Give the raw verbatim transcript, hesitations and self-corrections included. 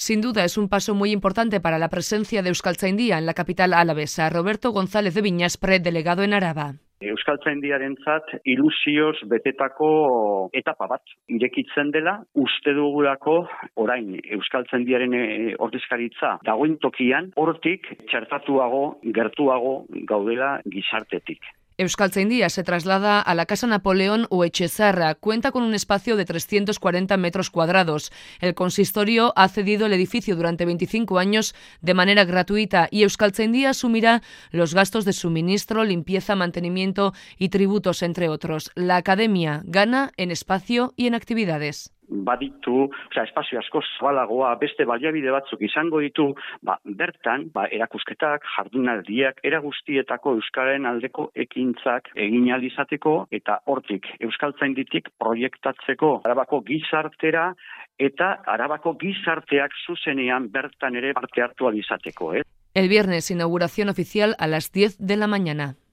Sin duda es un paso muy importante para la presencia de Euskaltzaindia en la capital alavesa. Roberto González de Viñaspre, delegado en Araba. Euskaltzaindiarentzat ilusioz betetako etapa bat irekitzen dela, uste dugulako orain Euskaltzaindiaren ordezkaritza dagoen tokian, hortik txertatuago, gertuago gaudela gizartetik. Euskaltzaindia se traslada a la Casa Napoleón o Echezarra. Cuenta con un espacio de trescientos cuarenta metros cuadrados. El consistorio ha cedido el edificio durante veinticinco años de manera gratuita y Euskaltzaindia asumirá los gastos de suministro, limpieza, mantenimiento y tributos, entre otros. La academia gana en espacio y en actividades. Baditu, osea, espazio asko zabalagoa, beste baliabide batzuk izango ditu, ba, bertan, ba, erakusketak, jardunaldiak, era guztietako euskararen aldeko ekintzak egin ahal izateko eta hortik Euskaltzainditik proiektatzeko Arabako gizartera eta Arabako gizarteak zuzenean bertan ere parte hartu ahal izateko, eh? El viernes, inauguración oficial a las diez de la mañana.